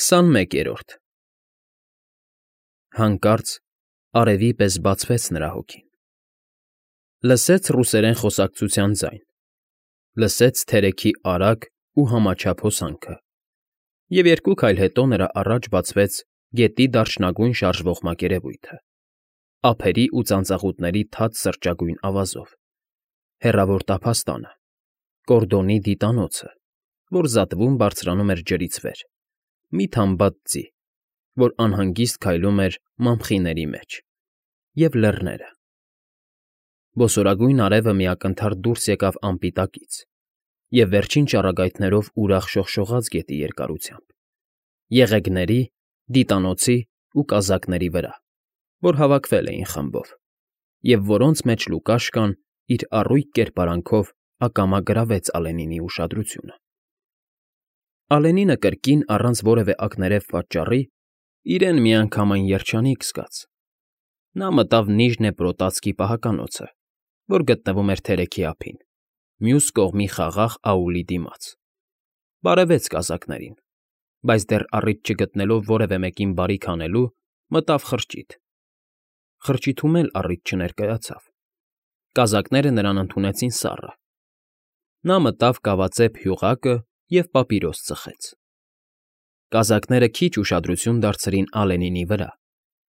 21-րդ Հանկարծ արևի պես բացվեց նրա հոգին, լսեց ռուսերեն խոսակցության ձայն, լսեց թերեքի արագ ու համաչափ հոսանքը, և երկու քայլ հետո նրա առաջ բացվեց գետի դարչնագույն շարժվող մակերևույթը, ափերի ու ծանծաղուտների թաց սրճագույն ավազով, հեռավոր տափաստանը, Կորդոնի դիտանոցը, որ զատվում բարձրանում էր ջրից վեր, մի թամբատ ձի, որ անհանգիստ քայլում էր մամխիների մեջ, և լեռները. Բոսորագույն արևը մի ակնթարթ դուրս եկավ ամպի տակից և վերջին ճառագայթներով ուրախ շողշողաց գետի երկարությամբ, եղեգների, դիտանոցի ու կազակների վրա, որ հավաքվել էին խմբով, և որոնց մեջ Լուկաշկան իր առույգ կերպարանքով ակամա գրավեց Ալենինի ուշադրությունը։ Ալենինը կրկին, առանց որևէ ակներև պատճառի, իրեն միանգամայն երջանիկ զգաց. նա մտավ Նիժնեպրոտացկի պահականոցը, որ գտնվում էր թերեքի ափին, մյուս կողմի խաղաղ աուլի դիմաց, բարևեց կազակներին, բայց դեռ առիթ չգտնելով որևէ մեկին բարիք անելու, մտավ խրճիթ. խրճիթում էլ առիթ չներկայացավ, կազակները նրան ընդունեցին սառը, նա մտավ կավածեպ հյուղակը և պապիրոս ծխեց։ Կազակները քիչ ուշադրություն դարձրին Ալենինի վրա,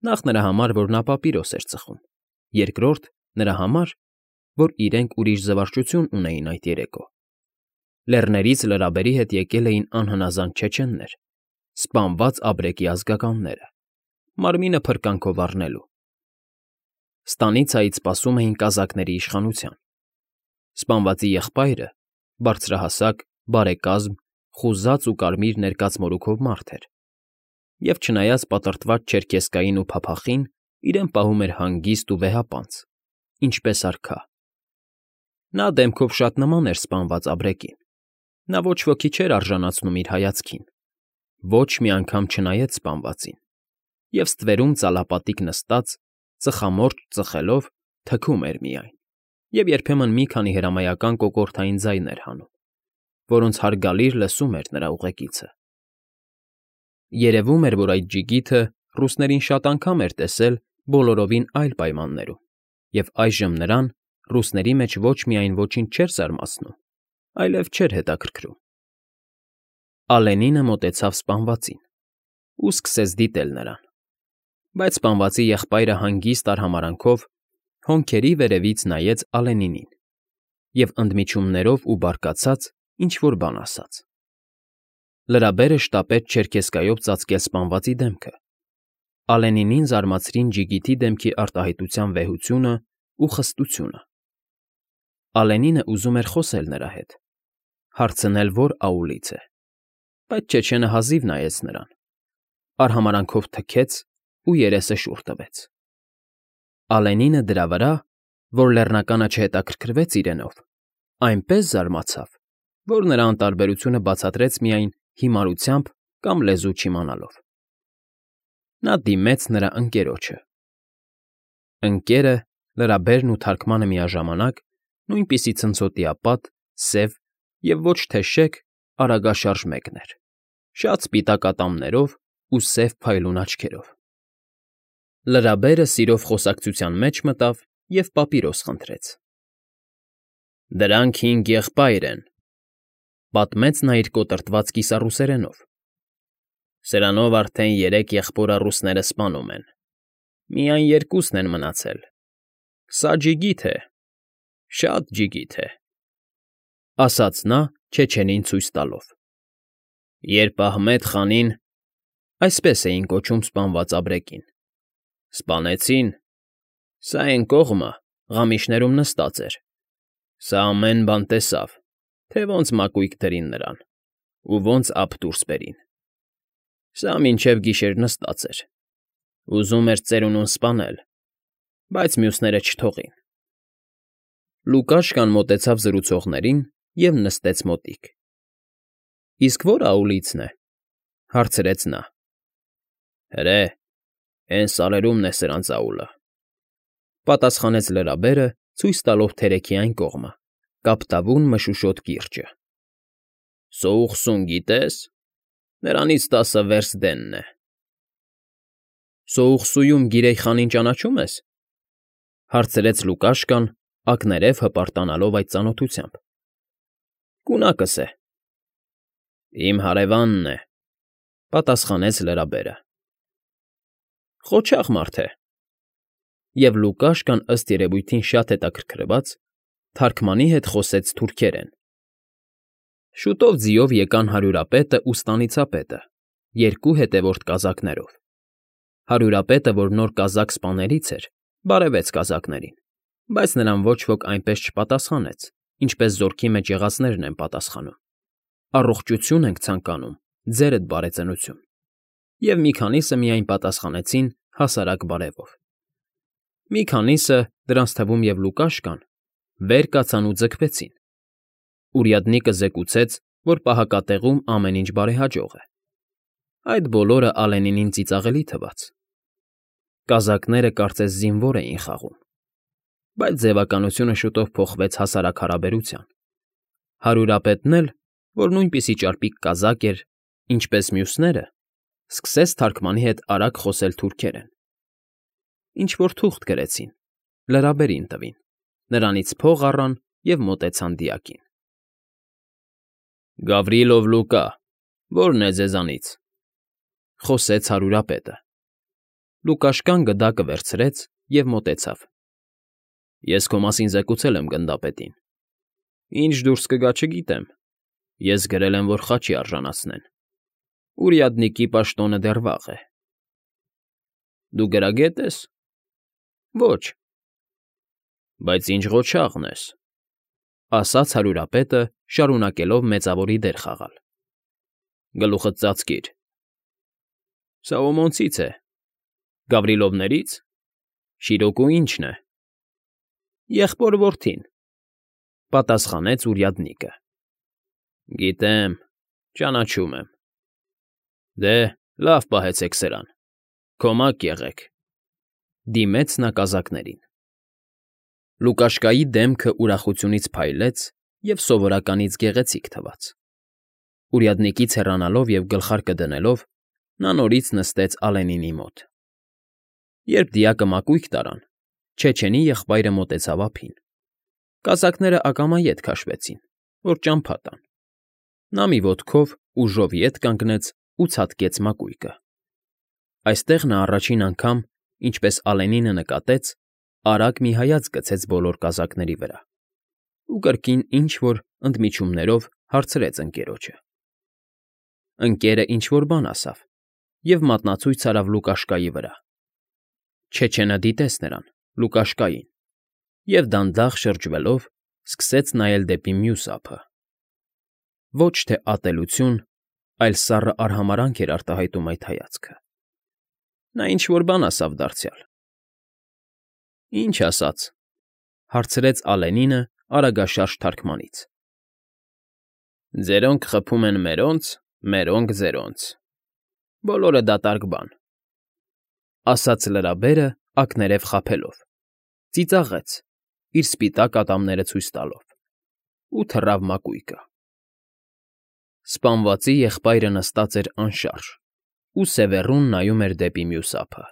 նախ նրա համար, որ նա պապիրոս էր ծխում, երկրորդ՝ նրա համար, որ իրենք ուրիշ զվարճություն ունեին այդ երեկո. լեռներից լրաբերի հետ եկել էին անհնազանդ չեչեններ, սպանված ապրեկի ազգականները, մարմինը փրկանքով առնելու։ Ստանիցիայից սպասում էին կազակների իշխանության։ Սպանվածի եղբայրը բարձրահասակ, բարեկազմ, խուզած ու կարմիր ներկած մորուքով մարդ էր, և չնայած պատրտված չերքեզկային ու փափախին, իրեն պահում էր հանգիստ ու վեհապանծ, ինչպես արքա։ Նա դեմքով շատ նման էր սպանված ապրեկին, նա ոչ ոքի չէր արժանացնում իր հայացքին, ոչ մի անգամ չնայեց սպանվածին, և ստվերում ծալապատիկ նստած, ծխամորճ ծխելով, թքում էր միայն, և երբեմն մի քանի հրամայական կոկորդային ձայն էր հանում, որոնց հարգալիր լսում էր նրա ուղեկիցը։ Երևում էր, որ այդ ջիգիթը ռուսներին շատ անգամ էր տեսել բոլորովին այլ պայմաններում, և այժմ նրան ռուսների մեջ ոչ միայն ոչինչ չէր զարմացնում, այլև չէր հետաքրքրում։ Ալենինը մոտեցավ սպանվածին ու սկսեց դիտել նրան, բայց սպանվածի եղբայրը հանգիստ արհամարհանքով հոնքերի վերևից նայեց Ալենինին և ընդմիջումներով ու բարկացած ինչ֊որ բան ասաց։ Լրաբերը շտապեց չերքեզկայով ծածկել սպանվածի դեմքը։ Ալենինին զարմացրին ջիգիթի դեմքի արտահայտության վեհությունն ու խստությունը։ Ալենինը ուզում էր խոսել նրա հետ, հարցնել, որ աուլից է, բայց չեչենը հազիվ նայեց նրան, արհամարհանքով թքեց ու երեսը շուռ տվեց։ Ալենինը դրա վրա, որ լեռնականը չհետաքրքրվեց իրենով, այնպես զարմացավ, որ նրա անտարբերությունը բացատրեց միայն հիմարությամբ կամ լեզու չիմանալով։ Նա դիմեց նրա ընկերոջը։ Ընկերը, լրաբերն ու թարգմանը միաժամանակ, նույնպիսի ցնցոտիապատ, սև և ոչ թե շեկ, արագաշարժ մեկն էր, շատ սպիտակ ատամներով ու սև փայլուն աչքերով։ Լրաբերը սիրով խոսակցության մեջ մտավ և պապիրոս խնդրեց։ «Դրանք 5 եղբայր են», պատմեց նա իր կոտրտված կիսառուսերենով։ «Սրանով արդեն 3 եղբորը ռուսները սպանում են, միայն 2-ն են մնացել։ Սա ջիգիթ է, շատ ջիգիթ է», ասաց նա չեչենին ցույց տալով։ «Երբ Ահմեդ խանին (այսպես էին կոչում սպանված ապրեկին) սպանեցին, սա էն կողմը ղամիշներում նստած էր, սա ամեն բան տեսավ, թե ոնց մակույկը դրին նրան ու ոնց ափ դուրս բերին, սա մինչև գիշեր նստած էր, ուզում էր ծերունուն սպանել, բայց մյուսները չթողին»։ Լուկաշկան մոտեցավ զրուցողներին և նստեց մոտիկ։ «Իսկ ո՞ր աուլիցն է,֊ հարցրեց նա։ «Հրե, էն սարերումն է սրանց աուլը,֊ պատասխանեց լրաբերը, ցույց տալով թերեքի այն կողմը, կապտավուն մշուշոտ կիրճը։ «Սոուխսուն գիտե՞ս։ Նրանից 10 վերս դենն է։ Սոուխսույում Գիրեյ խանին ճանաչում ես,֊ հարցրեց Լուկաշկան, ակներև հպարտանալով այդ ծանոթությամբ։ Գունակս է։ Իմ հարևանն է,֊ պատասխանեց լրաբերը։ Խոչաղ մարդ է։ Եվ Լուկաշկան ըստ երևույթին շատ հետաքրքրված, թարգմանի հետ խոսեց թուրքերեն։ Շուտով ձիով եկան հարյուրապետը ու ստանիցապետը, երկու հետևորդ կազակներով։ Հարյուրապետը, որ նոր կազակ սպաներից էր, բարևեց կազակներին, բայց նրան ոչ ոք այնպես չպատասխանեց, ինչպես զորքի մեջ եղածներն են պատասխանում։ Առողջություն ենք ցանկանում, ձերդ բարեծնություն։ Եվ մի քանիսը միայն պատասխանեցին հասարակ բարևով։ Մի քանիսը, դրանց թվում և Լուկաշկան, վեր կացան ու ձգվեցին։ Ուրյադնիկը զեկուցեց, որ պահակատեղում ամեն ինչ բարեհաջող է։ Այդ բոլորը Ալենինին ծիծաղելի թվաց։ Կազակները կարծես զինվոր էին խաղում։ Բայց ձևականությունը շուտով փոխվեց հասարակ հարաբերության։ Հարյուրապետն էլ, որ նույնպիսի ճարպիկ կազակ էր, ինչպես մյուսները, սկսեց թարգմանի հետ արագ խոսել թուրքերեն։ Ինչ֊որ թուղթ գրեցին, լրաբերին տվին, նրանից փող առան և մոտեցան դիակին։ Գավրիլով Լուկա, ո՞րն է ձեզանից,֊ խոսեց հարյուրապետը։ Լուկաշկան գդակը վերցրեց և մոտեցավ։ Ես քո մասին զեկուցել եմ գնդապետին։ Ինչ դուրս կգա, չգիտեմ։ Ես գրել եմ, որ խաչի արժանացնեն։ Ուրյադնիկի պաշտոնը դեռ վաղ է։ Դու գրագե՞տ ես։ Ոչ։ Բայց ինչ ղոչաղն ես,֊ ասաց հարյուրապետը, շարունակելով մեծավորի դեր խաղալ։ Գլուխդ ծածկիր։ Սաոմոնցից է։ Գավրիլովներից։ Շիրոկու ի՞նչն է։ Եղբոր որդին,֊ պատասխանեց ուրյադնիկը։ Գիտեմ, ճանաչում եմ։ Դե, լավ պահեցեք սրան, քոմակ եղեք,֊ դիմեց նա կազակներին։ Լուկաշկայի դեմքը ուրախությունից փայլեց և սովորականից գեղեցիկ թվաց։ Ուրյադնիկից հեռանալով և գլխարկը դնելով, նա նորից նստեց Ալենինի մոտ։ Երբ դիակը մակույկը տարան, Չեչենի եղբայրը մոտեցավ ափին։ Կազակները ակամա ետ քաշվեցին, որ ճամփա տան։ Նա մի ոտքով ուժով ետ կանգնեց ու ցատկեց մակույկը։ Այստեղ նա առաջին անգամ, ինչպես Ալենինը նկատեց, արագ մի հայացք գցեց բոլոր կազակների վրա ու կրկին ինչ֊որ ընդմիջումներով հարցրեց ընկերոջը։ Ընկերը ինչ֊որ բան ասավ և մատնացույց արավ Լուկաշկայի վրա։ Չեչենը դիտեց նրան, Լուկաշկային, և դանդաղ շրջվելով սկսեց նայել դեպի մյուս ափը։ Ոչ թե ատելություն, այլ սառը արհամարհանք էր արտահայտում այդ հայացքը։ Նա ինչ֊որ բան ասավ դարձյալ։ Ինչ ասաց,֊ հարցրեց Ալենինը արագաշարժ թարգմանից։ Ձերոնք խփում են մերոնց, մերոնք ձերոնց։ Բոլորը դատարկ բան,֊ ասաց լրաբերը ակներև խաբելով, ծիծաղեց, իր սպիտակ ատամները ցույց տալով, ու թռավ մակույկը։ Սպանվածի եղբայրը նստած էր անշարժ ու սևեռուն նայում էր դեպի մյուս ափը։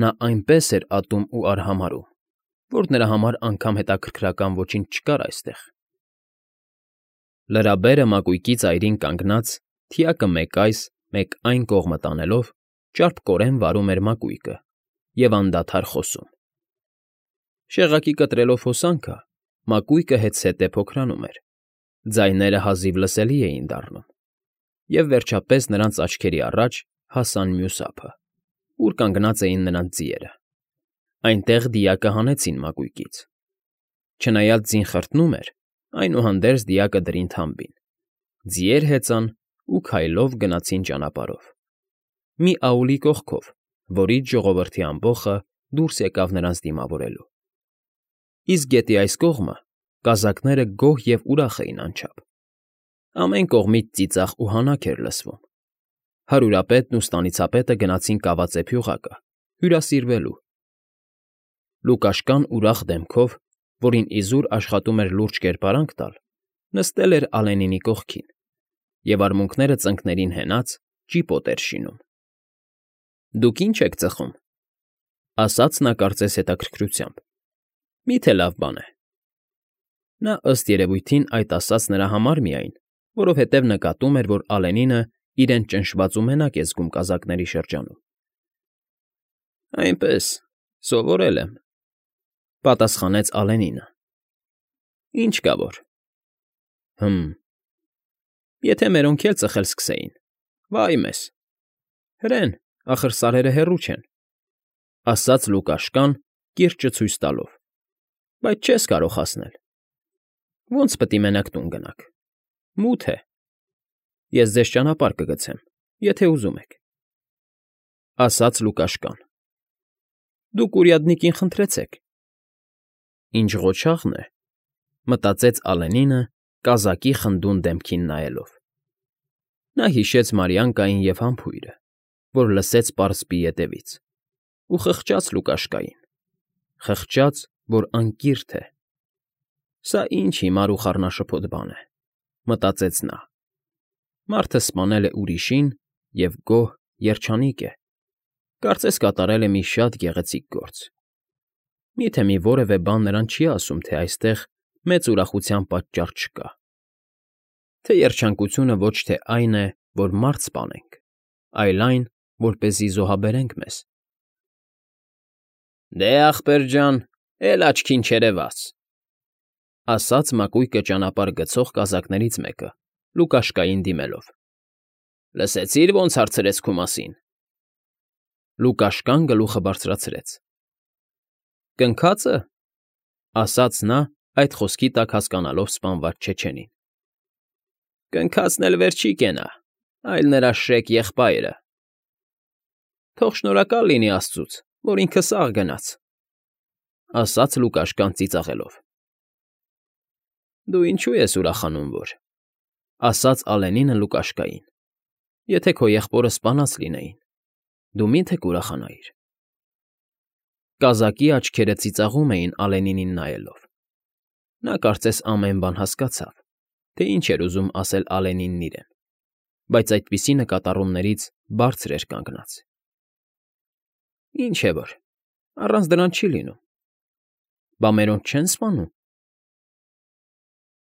Նա այնպես էր ատում ու արհամարհում, որ նրա համար անգամ հետաքրքրական ոչինչ չկար այստեղ։ Լրաբերը մակույկի ծայրին կանգնած, թիակը մեկ այս, մեկ այն կողմը տանելով, ճարպկորեն վարում էր մակույկը և անդադար խոսում։ Շեղակի կտրելով հոսանքը, մակույկը հետզհետե փոքրանում էր, ձայները հազիվ լսելի էին դառնում, և վերջապես նրանց աչքերի առաջ հասան մյուս ափը, ուր կանգնած էին նրանց ձիերը։ Այնտեղ դիակը հանեցին մակույկից։ Չնայած ձին խրտնում էր, այնուհանդերձ դիակը դրին թամբին, ձիեր հեծան ու քայլով գնացին ճանապարհով։ Մի աուլի կողքով, որից ժողովրդի ամբոխը դուրս եկավ նրանց դիմավորելու։ Իսկ գետի այս կողմը կազակները գոհ և ուրախ էին անչափ։ Ամեն կողմից ծիծաղ ու հանաք էր լսվում։ Հարյուրապետն ու ստանիցապետը գնացին կավածե փյուղակը, հյուրասիրվելու։ Լուկաշկան ուրախ դեմքով, որին իզուր աշխատում էր լուրջ կերպարանք տալ, նստել էր Ալենինի կողքին և արմունկները ծնկներին հենած ճիպոտ էր շինում։ ֊ Դուք ի՞նչ եք ծխում,֊ ասաց նա կարծես հետաքրքրությամբ։֊ Մի՞թե լավ բան է։ Նա, ըստ երևույթին, այդ ասաց նրա համար միայն, որովհետև նկատում էր, որ Ալենինը իրեն ճնշված ու մենակ է զգում կազակների շրջանում։ ֊ Այնպես, սովորել եմ,֊ պատասխանեց Ալենինը։ ֊ Ինչ կա որ։ ֊ Եթե մերոնք էլ ծխել սկսեին, վա՜յ մեզ։ Հրեն, ախր սարերը հեռու չեն,֊ ասաց Լուկաշկան, կիրճը ցույց տալով,֊ բայց չես կարող հասնել։ Ո՞նց պիտի մենակ տուն գնաք։ Մութ է։ Ես ձեզ ճանապարհ կգցեմ, եթե ուզում եք,֊ ասաց Լուկաշկան։ Դուք урядникին խնդրեցեք։ Ինչ ղոչաղն է,֊ մտածեց Ալենինը, կազակի խնդուն դեմքին նայելով։ Նա հիշեց Մարիանկային և համբույրը, որ լսեց պարսպի ետևից, ու խղճաց Լուկաշկային, խղճաց, որ անկիրք է։ Սա ինչ հիմար ու խառնաշփոթ բան է,֊ մտածեց նա։ Մարդը սպանել է ուրիշին և գոհ, երջանիկ է, կարծես կատարել է մի շատ գեղեցիկ գործ։ Մի՞թե մի որևէ բան նրան չի ասում, թե այստեղ մեծ ուրախության պատճառ չկա, թե երջանկությունը ոչ թե այն է, որ մարդ սպանենք, այլ այն, որպեսզի զոհաբերենք մեզ։ ֊ Դե, ախպեր ջան, էլ աչքին չերևաց,֊ ասաց մակույկը ճանապարհ գցող կազակներից մեկը, Լուկաշկային դիմելով։֊ Լսեցի՞ր ոնց հարցրեց քո մասին։ Լուկաշկան գլուխը բարձրացրեց։ ֊ Կնքա՞ծը,֊ ասաց նա, այդ խոսքի տակ հասկանալով սպանված չեչենին։ ֊ Կնքածն էլ վեր չի կենա, այլ նրա շրեկ եղբայրը։ ֊ Թող շնորհակալ լինի աստծուց, որ ինքը սաղ գնաց,֊ ասաց Լուկաշկան ծիծաղելով։ ֊ Դու ինչո՞ւ ես ուրախանում, որ,֊ ասաց Ալենինը Լուկաշկային,֊ եթե քո եղբորը սպանած լինեին, դու մի՞թե կուրախանայիր։ Կազակի աչքերը ծիծաղում էին Ալենինին նայելով։ Նա կարծես ամեն բան հասկացավ, թե ինչ էր ուզում ասել Ալենինն իրեն, բայց այդպիսի նկատառումներից բարձր էր կանգնած։ ֊ Ինչ է որ, առանց դրան չի լինում։ Բա մերոնք չեն սպանում։